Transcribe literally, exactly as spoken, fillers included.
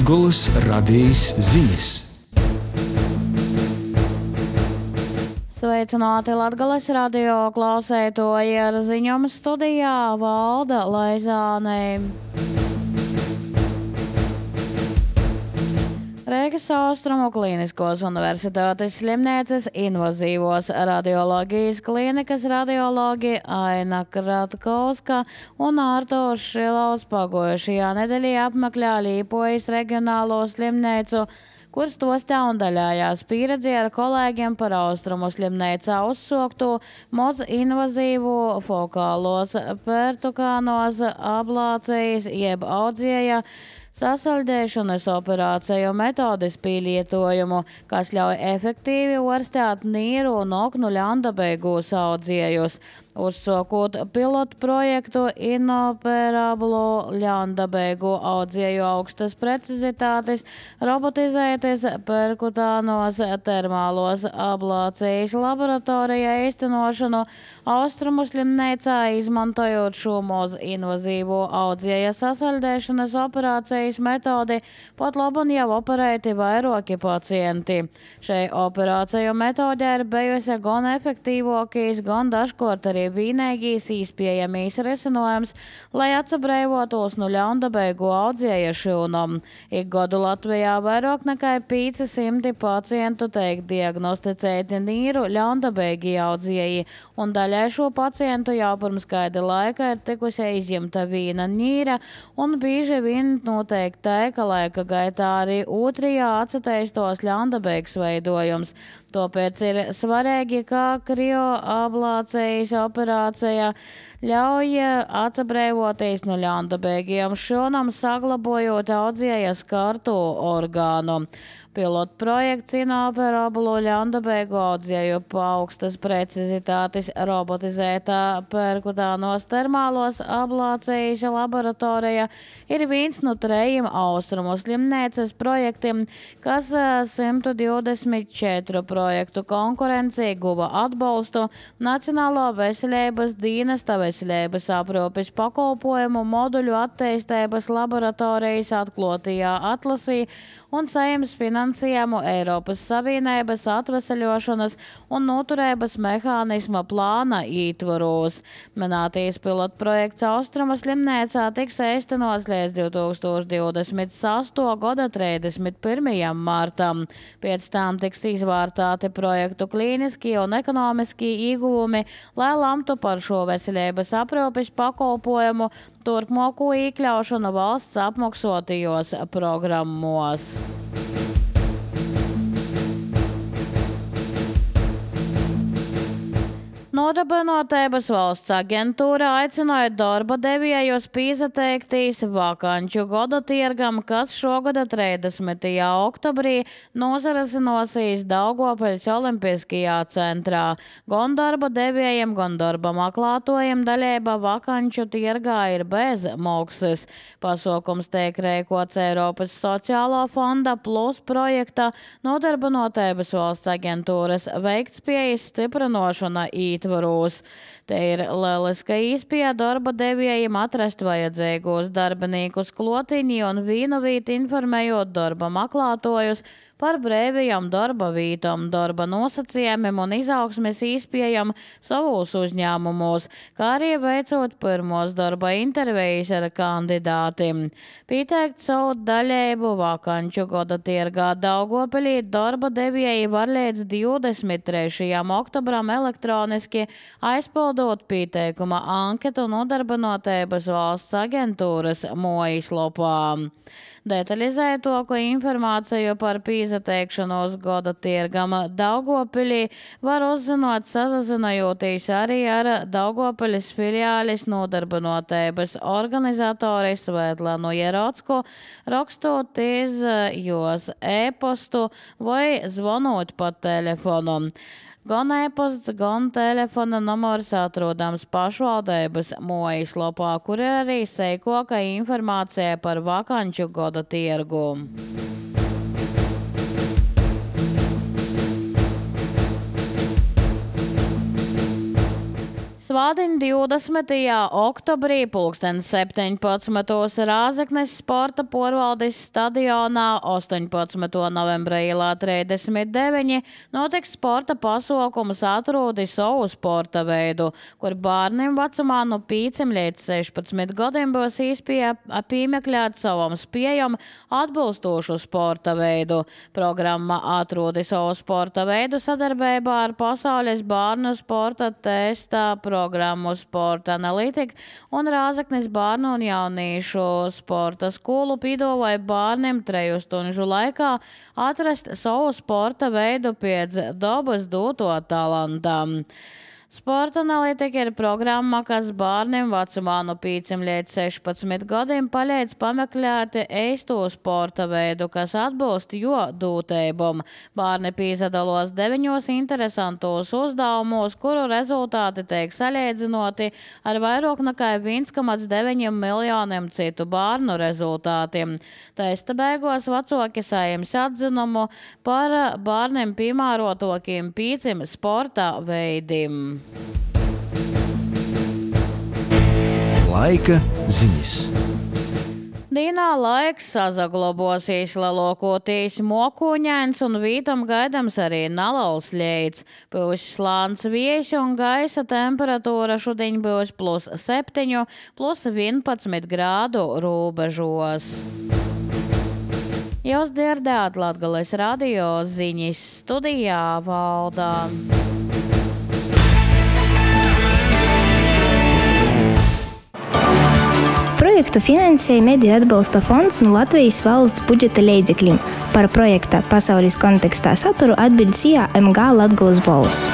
Latgolas radijas ziņas. Sveicināti Latgolas radio klausētoji, ar ziņām studijā Valda Laizāne. Rīgas Austrumu Kliniskos universitātes slimnīcas invazīvos radioloģijas klinikas radiologi Aina Kratkovska un Artūrs Šilovs pagojušajā nedēļā apmeklē Līpojas reģionālo slimnīcu, kur stostā un daļājās pieredzi ar kolēģiem par Austrumu slimnīcā uzsoktu moz invazīvu fokālos pertukānos ablācijas jeb audzieja sasaļdēšanas operāciju metodis pielietojumu, kas ļauj efektīvi orstēt nīru un oknu ļaundabeigus audziejus. Uzsokot pilotu projektu inoperablu ļaundabeigu audzieju augstas precizitātes, robotizētas perkutānos termālos ablācijas laboratorijā īstenošanu Austrumu slimnīcā, izmantojot šo moz invazīvo audzieja sasaļdēšanas operācijas metodi, pat labam jau operēti vairāki pacienti. Šai operāciju metodē ir bijusi gan efektīvākīs, gan dažkārt arī vienīgais īspējamais risinājums, lai atsabrēvotos no ļaundabeigu audzieja šūnam. Ik gadu Latvijā vairāk nekā pieci simti pacientu tiek diagnosticēti nīru ļaundabeigi audzieji, un daļai šo pacientu jau pirms kāda laika ir tikusi izņemta viena nīra, un bieži vien notiek tā, ka laika gaitā arī otrajā atsateistos ļaundabeigs veidojums. Tāpēc ir svarīgi, ka krioablācijas operācija ļauj atsabrēvoties no ļaundabeigiem šūnam, saglabājot audzieja skartu orgānu. Pilotu projekts inoperablu ļaundabeigu audzieju augstas precizitātes robotizētā perkutānos termālos ablācijas laboratorija ir viens no trejiem Austrumu slimnīcas projektiem, kas simt divdesmit četru projektu konkurencī guva atbalstu Nacionālo veselības dienesta veselības aprūpes pakalpojumu moduļu attīstības laboratorijas atklātajā atlasī un Saeimas finansējumu Eiropas Savienības atveseļošanas un noturības mehānisma plāna ietvaros. Minētais pilotu projekts Austrumu slimnīcā tiks īstenots līdz divi tūkstoši divdesmit sastā gada trīsdesmit pirmajam martam. Pēc tam tiks izvērtēti projektu klīniskie un ekonomiskie ieguvumi, lai lemtu par šo veselības aprūpes pakalpojumu turpmāko iekļaušanu valsts apmaksotajos programmos. Nodarbinātības valsts aģentūra aicināja darba devējus piesateikties vakanču gada tirgam, kas šogada trīsdesmitajā oktobrī nozarasinosies Daugopeļas Olimpiskajā centrā. Gan darba devējiem, gan darba meklētojiem daļība vakanču tirgā ir bez maksas. Pasākums tiek rīkots Eiropas sociālo fonda plus projekta Nodarbinātības valsts aģentūras veiktspējas stiprinošana īt. Te ir lieliska iespēja darba devējiem atrast vajadzīgos darbiniekus klotiņi un vienu vīti informējot darba meklētojus par brīvajām darba vītām, darba nosacījumiem un izaugsmes iespējām savos uzņēmumos, kā arī veicot pirmos darba intervijas ar kandidātiem. Pieteikt savu daļību vakanču gada tirgā Daugopeļī darba devēji var līdz divdesmit trešajam oktobram elektroniski aizpildot pieteikuma anketu Nodarbinātības valsts aģentūras mājaslapā. Detalizētāko informāciju par pieteikšanos gada tirgam Daugopeļī var uzzināt sazinājoties arī ar Daugopeļas filiāles Nodarbinātības organizatori Svetlanu Jerotsku, rakstot iz jos e-postu vai zvanot pa telefonu. Gan e-posts, gan telefona numurs atrodams pašvaldības mājaslapā, kur ir arī seikoka informācija par vakanču gada tirgu. Svādiņ divdesmitajā oktobrī pulksten septiņpadsmitos Rāzeknes sporta porvaldes stadionā astoņpadsmitā novembra ielā trīsdesmit deviņi notiks sporta pasaukums Atrodi savu sporta veidu, kur bērniem vecumā no pieciem līdz sešpadsmit gadiem būs iespēja piemeklēt savam spējam atbilstošu sporta veidu. Programma Atrodi savu sporta veidu sadarbībā ar Pasaules bērnu sporta testa programmu Sporta analītika un Rāzeknes bērnu un jaunīšu sporta skolu piedāvāja bērniem treju stunžu laikā atrast savu sporta veidu pēc dabas doto talantam. Sporta analītika ir programma, kas bērniem vecumā no pieciem līdz sešpadsmit gadiem palīdz pameklēt eisto sporta veidu, kas atbilst jo dūteibam. Bērni piedalās deviņos interesantos uzdevumos, kuru rezultāti tiek salīdzinoti ar vairāk nekā viens komats deviņi miljoniem citu bērnu rezultātiem. Testa beigās vecāki saņems atzinumu par bērniem piemērotākiem pieciem sporta veidiem. Laika ziņas. Dīnā laiks sazaglabosies lielākoties mokuņains un vītam gaidams arī nalals ļeids. Būs slāns viejs un gaisa temperatūra šodien būs plus septiņi, plus vienpadsmit grādu robežos. Jūs dzirdējāt Latgales radio ziņas, studijā Valdā. Projektu finansēja Mediju atbalsta fonds no Latvijas valsts budžeta līdzekļiem. Par projekta pasaules kontekstā saturu atbild S I A M G Latgales balss.